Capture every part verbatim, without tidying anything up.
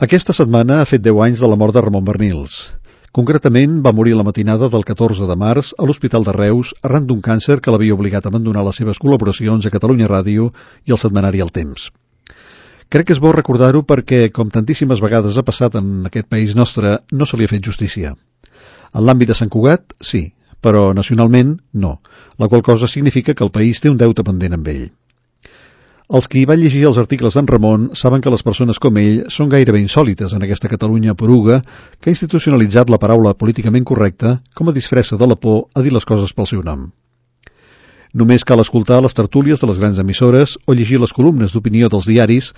Aquesta setmana ha fet deu anys de la mort de Ramon Barnils. Concretament, va morir la matinada del catorze de març a l'Hospital de Reus arran d'un càncer que l'havia obligat a abandonar les seves col·laboracions a Catalunya Ràdio i al setmanari El Temps. Crec que és bo recordar-ho perquè, com tantíssimes vegades ha passat en aquest país nostre, no se li ha fet justícia. En l'àmbit de Sant Cugat, sí, però nacionalment, no, la qual cosa significa que el país té un deute pendent amb ell. Els qui van llegir els articles d'en Ramon saben que les persones com ell són gairebé insòlites en aquesta Catalunya poruga que ha institucionalitzat la paraula políticament correcta com a disfressa de la por a dir les coses pel seu nom. Només cal escoltar les tertúlies de les grans emissores o llegir les columnes d'opinió dels diaris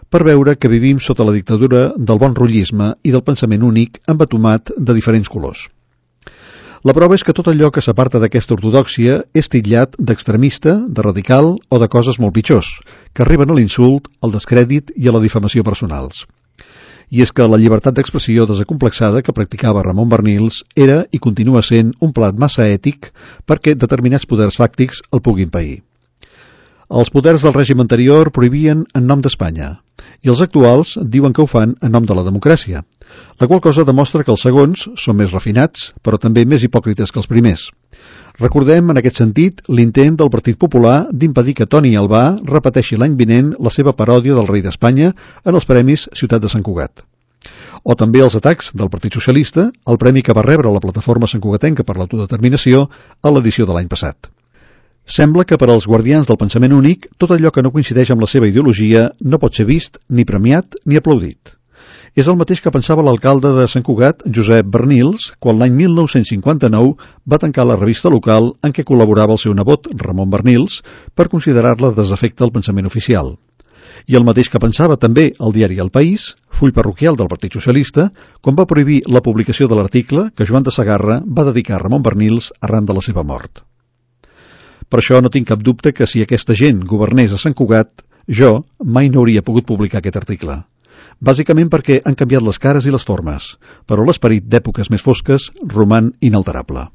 per veure que vivim sota la dictadura del bon rotllisme i del pensament únic embatomat de diferents colors. La prova és que tot allò que s'aparta d'aquesta ortodòxia és titllat d'extremista, de radical o de coses molt pitjors, que arriben a l'insult, al descrèdit i a la difamació personals. I és que la llibertat d'expressió desacomplexada que practicava Ramon Barnils era i continua sent un plat massa ètic perquè determinats poders fàctics el puguin pair. Els poders del règim anterior prohibien en nom d'Espanya i els actuals diuen que ho fan en nom de la democràcia, la qual cosa demostra que els segons són més refinats, però també més hipòcrites que els primers. Recordem, en aquest sentit, l'intent del Partit Popular d'impedir que Toni Albà repeteixi l'any vinent la seva paròdia del rei d'Espanya en els Premis Ciutat de Sant Cugat. O també els atacs del Partit Socialista al premi que va rebre la plataforma santcugatenca per l'autodeterminació a l'edició de l'any passat. Sembla que per als guardians del pensament únic, tot allò que no coincideix amb la seva ideologia no pot ser vist, ni premiat, ni aplaudit. És el mateix que pensava l'alcalde de Sant Cugat, Josep Barnils, quan l'any mil nou-cents cinquanta-nou va tancar la revista local en què col·laborava el seu nebot, Ramon Barnils, per considerar-la desafecte al pensament oficial. I el mateix que pensava també el diari El País, full parroquial del Partit Socialista, quan va prohibir la publicació de l'article que Joan de Segarra va dedicar a Ramon Barnils arran de la seva mort. Per això no tinc cap dubte que si aquesta gent governés a Sant Cugat, jo mai no hauria pogut publicar aquest article. Bàsicament perquè han canviat les cares i les formes, però l'esperit d'èpoques més fosques roman inalterable.